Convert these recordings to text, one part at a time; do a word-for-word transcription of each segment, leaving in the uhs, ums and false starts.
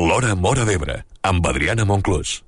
L'Hora Móra d'Ebre, amb Adriana Monclús.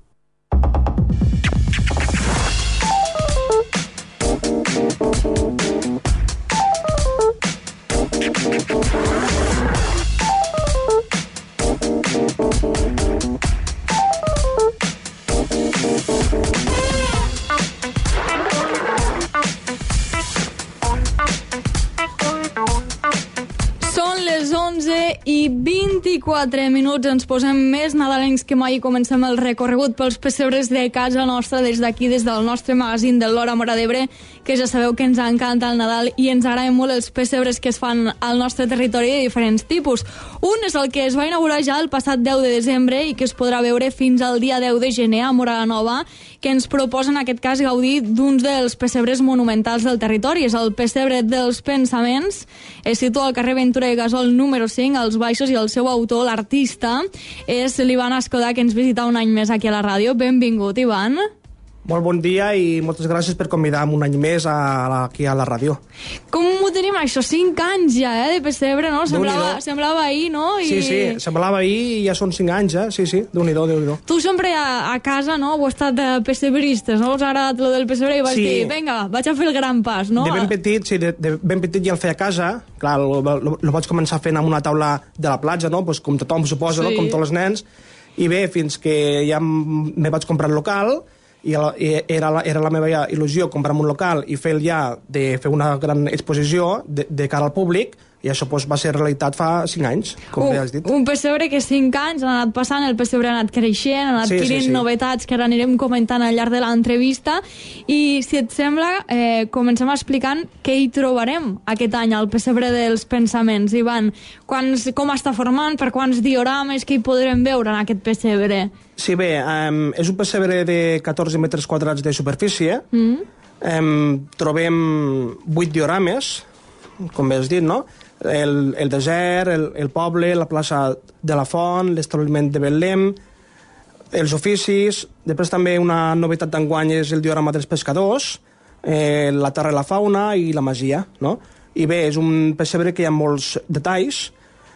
I vint-i-quatre minuts, ens posem més nadalencs que mai i comencem el recorregut pels pessebres de casa nostra des d'aquí, des del nostre magazín de l'Hora Móra d'Ebre, que ja sabeu que ens encanta el Nadal i ens agraden molt els pessebres que es fan al nostre territori de diferents tipus. Un és el que es va inaugurar ja el passat deu de desembre i que es podrà veure fins al dia deu de gener a Móra la Nova, que ens proposa en aquest cas gaudir d'uns dels pessebres monumentals del territori. És el pessebre dels pensaments, es situa al carrer Ventura i Gasol número cinc, als baixos, i el seu autor, l'artista, és l'Ivan Escodà, que ens visita un any més aquí a la ràdio. Benvingut, Ivan. Molt bon dia i moltes gràcies per convidar-me un any més a la, aquí a la ràdio. Com ho tenim això? Cinc anys ja, eh, de pessebre, no? Semblava, semblava ahir, no? I... Sí, sí, semblava ahir i ja són cinc anys, eh? Sí, sí, Déu-n'hi-do, Déu-n'hi-do. Tu sempre a, a casa, no?, heu estat de pessebristes, no? Us ha agradat lo del pessebre i vas sí. dir, vinga, vaig a fer el gran pas, no? De ben petit, sí, de, de ben petit ja el feia a casa. Clar, lo, lo, lo vaig començar fent amb una taula de la platja, no? Pues com tothom suposa, sí. No? Com tots els nens. I bé, fins que ja me vaig comprar el local, i era la, era la meva il·lusió comprar un local i fer ja de fer una gran exposició de, de cara al públic, i això pues, va ser realitat fa cinc anys, com un, ja has dit. Un pessebre que cinc anys han anat passant, el pessebre ha anat creixent, ha anat sí, adquirint sí, sí. novetats que ara anirem comentant al llarg de l'entrevista, i si et sembla, eh, comencem explicant què hi trobarem aquest any al pessebre dels pensaments. Ivan, quants, com està formant, per quants diorames que hi podrem veure en aquest pessebre? Sí, bé, um, és un pessebre de catorze metres quadrats de superfície. Mm. Um, trobem vuit diorames, com bé has dit, no? El, el desert, el, el poble, la plaça de la Font, l'establiment de Betlem, els oficis. Després també una novetat d'enguany és el diorama dels pescadors, eh, la terra i la fauna i la masia, no? I bé, és un pessebre que hi ha molts detalls.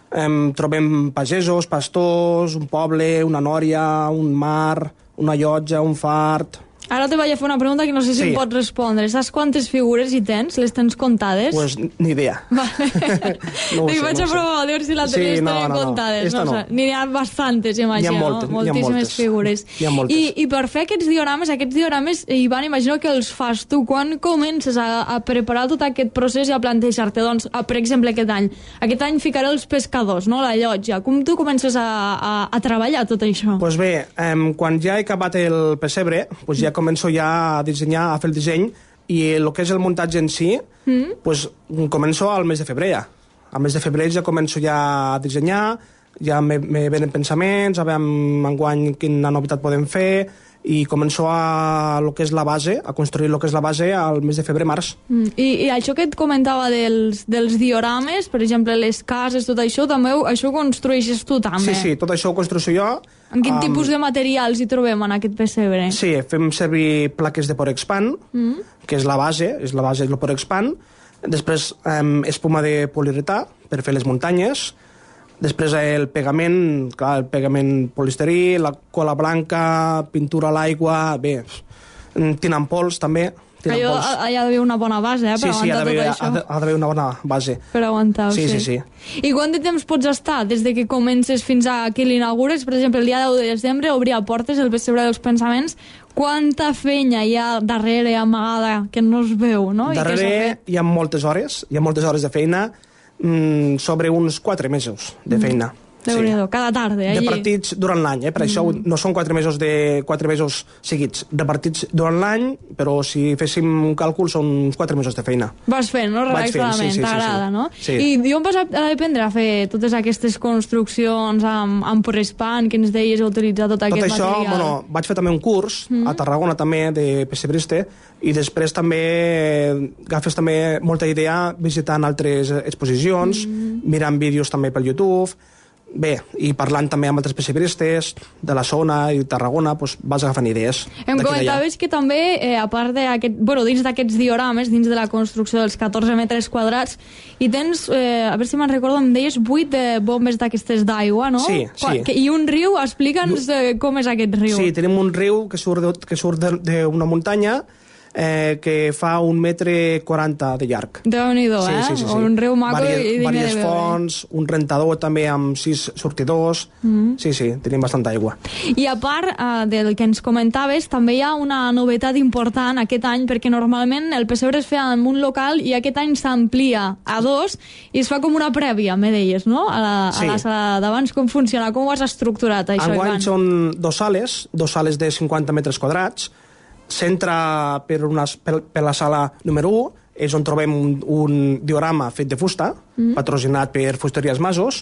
Um, trobem pagesos, pastors, un poble, una nòria, un mar, una llotja, un fart... Ara te vaig a fer una pregunta que no sé si sí. em pots respondre. Saps quantes figures hi tens? Les tens comptades? Pues ni idea. Vale. No ho sé, vaig no a provar a veure si la sí, les no, tenen no, comptades. No, no, no. N'hi ha bastantes, imagino. Hi ha moltes, no? Moltíssimes hi ha moltes. figures. Hi ha moltes. I, I per fer aquests diorames, aquests diorames, Ivan, imagino que els fas tu. Quan comences a, a preparar tot aquest procés i a plantejar-te, doncs, a, per exemple, aquest any? Aquest any ficaré els pescadors, no?, la llotja. Com tu comences a, a, a treballar tot això? Pues bé, um, quan ja he acabat el pessebre, pues ja començo ja a dissenyar, a fer el disseny, i el que és el muntatge en si, mm. pues, començo al mes de febrer ja. Al mes de febrer ja començo ja a dissenyar, ja me, me venen pensaments, a veure enguany quina novetat podem fer, i començo a lo que és la base, a construir lo que és la base al mes de febrer-març. Mm. I, I això que et comentava dels, dels diorames, per exemple, les cases, tot això, també ho, això ho construeixes tu, també? Sí, sí, tot això ho construeixo jo. En quin um, tipus de materials hi trobem en aquest pessebre? Sí, fem servir plaques de Porexpan, mm. que és la base, és la base del Porexpan. Després, um, espuma de poliuretà per fer les muntanyes. Després el pegament, clar, el pegament polisterí, la cola blanca, pintura a l'aigua, bé, tinant pols també. Allò, hi ha d'haver una bona base, eh, per sí, sí, aguantar tot això. Sí, sí, ha d'haver una bona base. Per aguantar-ho, sí. Sí, sí, sí. I quant de temps pots estar des de que comences fins a que l'inaugures? Per exemple, el dia deu de desembre obria portes el pessebre dels pensaments. Quanta feina hi ha darrere, amagada, que no es veu, no? Darrere hi ha moltes hores, hi ha moltes hores de feina, mmm, sobre uns quatre mesos de feina. Mm. Déu-n'hi-do, sí. Cada tarda, allí. Repartits durant l'any, eh? Per mm. això no són quatre mesos de quatre mesos seguits, repartits durant l'any, però si féssim un càlcul són uns quatre mesos de feina. Vas fent, no? Relaxadament, sí, sí, t'agrada, sí, sí. no? Sí. I on vas aprendre a fer totes aquestes construccions amb, amb Porexpan, que ens deies a utilitzar tot, tot aquest això, material? Bueno, vaig fer també un curs mm. a Tarragona també de pessebrista, i després també agafes també molta idea visitant altres exposicions, mm. mirant vídeos també pel YouTube. Bé, i parlant també amb altres pessebristes de la zona i Tarragona, doncs vas agafant idees. Em comentaves que també, eh, a part d'aquest, bueno, dins d'aquests diorames, dins de la construcció dels catorze metres quadrats, i tens, eh, a veure si me'n recordo, em deies vuit de bombes d'aquestes d'aigua, no? Sí, sí. I un riu, explica'ns eh, com és aquest riu. Sí, tenim un riu que surt de, que surt d'una muntanya, Eh, que fa un metre quaranta de llarg. Déu-n'hi-do, sí, eh? Sí, sí, sí. Un riu maco Varies, i digne Vàries de veure. fonts, un rentador també amb sis sortidors. Mm. Sí, sí, tenim bastanta aigua. I a part eh, del que ens comentaves, també hi ha una novetat important aquest any, perquè normalment el pessebre es feia en un local i aquest any s'amplia a dos i es fa com una prèvia, me deies, no? A la, sí. a la sala d'abans. Com funciona? Com ho has estructurat, això, Enguany Ivan? són dos sales, dos sales de cinquanta metres quadrats. S'entra per, una, per, per la sala número u, és on trobem un, un diorama fet de fusta, mm. patrocinat per Fusteries Masos.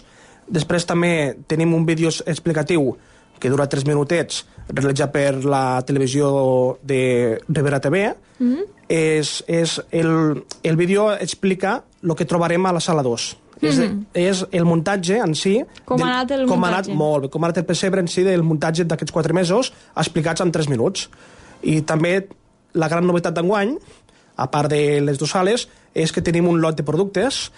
Després també tenim un vídeo explicatiu que dura tres minutets, realitzat per la televisió de Ribera T V. Mm. És, és el, el vídeo explica el que trobarem a la sala dos. Mm. És, és el muntatge en si... Com ha anat el com muntatge? Ha anat, molt bé, com ha anat el pessebre en si del muntatge d'aquests quatre mesos, explicats en tres minuts. I també la gran novetat d'enguany, a part de les dues sales, és que tenim un lot de productes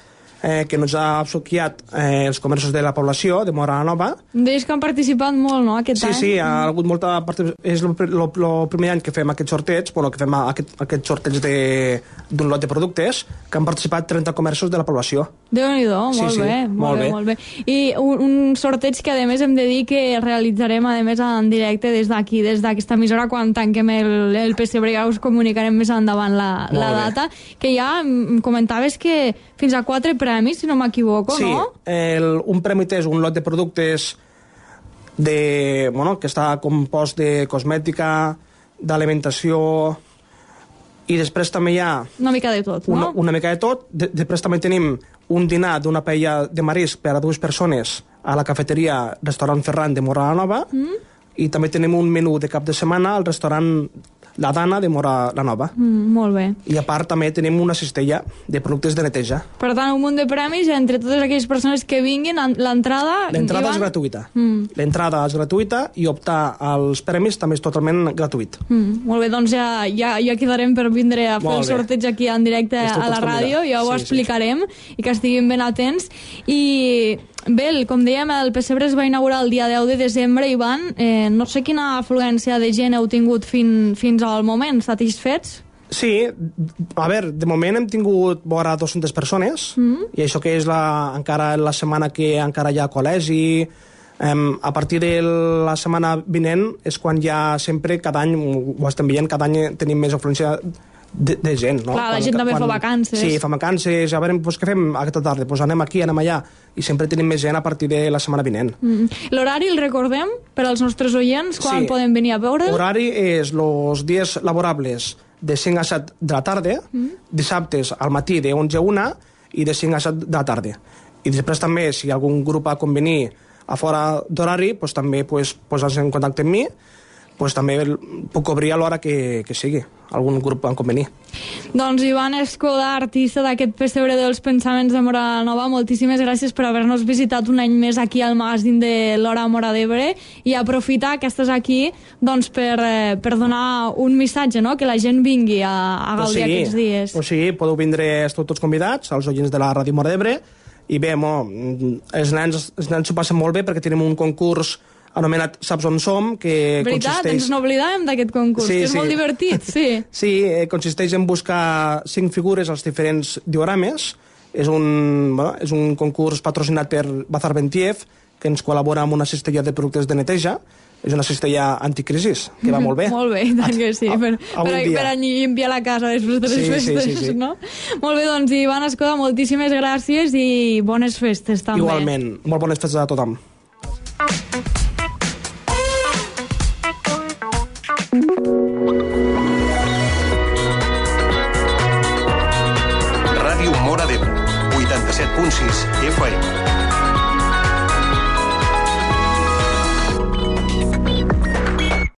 eh, que ens ha obsequiat eh, els comerços de la població de Móra la Nova. Deies que han participat molt, no, aquest sí, any? Sí, sí, ha hagut molta participació. És el primer any que fem aquest sorteig, bueno, que fem aquest, aquest sorteig d'un lot de productes, que han participat trenta comerços de la població. Déu-n'hi-do, sí, molt sí, bé, molt, molt bé, bé, molt bé. I un, un sorteig que, a més, hem de dir que realitzarem, a més, en directe des d'aquí, des d'aquesta emissora, quan tanquem el, el pessebre, ja us comunicarem més endavant la, la data, que ja em comentaves que fins a quatre premis, si no m'equivoco, sí, no? Sí, un premi és un lot de productes de, bueno, que està compost de cosmètica, d'alimentació, i després també hi ha... Una mica de tot, una, no? Una mica de tot. De, després també tenim un dinar d'una paella de marisc per a dues persones a la cafeteria Restaurant Ferran de Móra la Nova, mm. i també tenim un menú de cap de setmana al restaurant La Dana de Móra la Nova. Mm, molt bé. I a part també tenim una cistella de productes de neteja. Per tant, un munt de premis entre totes aquelles persones que vinguin. L'entrada... L'entrada Ivan... és gratuïta. Mm. L'entrada és gratuïta i optar als premis també és totalment gratuït. Mm, molt bé, doncs ja, ja, ja quedarem per vindre a fer el sorteig aquí en directe Esteu a la ràdio, ja ho sí, explicarem, sí. i que estiguin ben atents. I bé, com dèiem, el pessebre es va inaugurar el dia deu de desembre, Ivan. Eh, no sé quina afluència de gent heu tingut fin, fins al moment, satisfets? Sí, a veure, de moment hem tingut vora dues-centes persones, mm. i això que és la, encara la setmana que encara hi ha col·legi. Um, a partir de la setmana vinent és quan ja sempre, cada any, ho estem veient, cada any tenim més afluència de, de gent, no? Clar, la quan, gent també quan, fa vacances. Sí, fa vacances, a veure, doncs, què fem aquesta tarda? Doncs anem aquí, anem allà, i sempre tenim més gent a partir de la setmana vinent. Mm. L'horari el recordem per als nostres oients? Quan sí. poden venir a veure? L'horari és els dies laborables de cinc a set de la tarda, mm. dissabtes al matí de onze a una i de cinc a set de la tarda. I després també, si algun grup ha convenir a fora d'horari, doncs també pues, posar-se en contacte amb mi, pues també puc obrir a l'hora que, que sigui, algun grup en convenir. Doncs Ivan Escoda, artista d'aquest pessebre dels pensaments de Móra la Nova, moltíssimes gràcies per haver-nos visitat un any més aquí al magazín de l'Hora Móra d'Ebre, i aprofitar que estàs aquí doncs, per, eh, per donar un missatge, no? Que la gent vingui a, a gaudir pues sí, aquests dies. Pues sí, podeu vindre, esteu tots convidats, els oients de la Ràdio Móra d'Ebre, i bé, mo, els nens, els nens s'ho passen molt bé perquè tenim un concurs anomenat Saps on som, que Veritat, consisteix... ens n'oblidàvem d'aquest concurs, sí, que és sí. molt divertit, sí. Sí, eh, consisteix en buscar cinc figures als diferents diorames. És un, bueno, és un concurs patrocinat per Bazar Bentiev, que ens col·labora amb una cistella de productes de neteja. És una cistella anticrisis, que va molt bé. Molt bé, tant que sí, per, a, a per, per limpiar la casa després de les sí, festes, sí, sí, sí. no? Molt bé, doncs, Ivan Escoda, moltíssimes gràcies i bones festes, també. Igualment, molt bones festes a tothom. Ràdio Móra d'Ebre, vuitanta-set punt sis F M.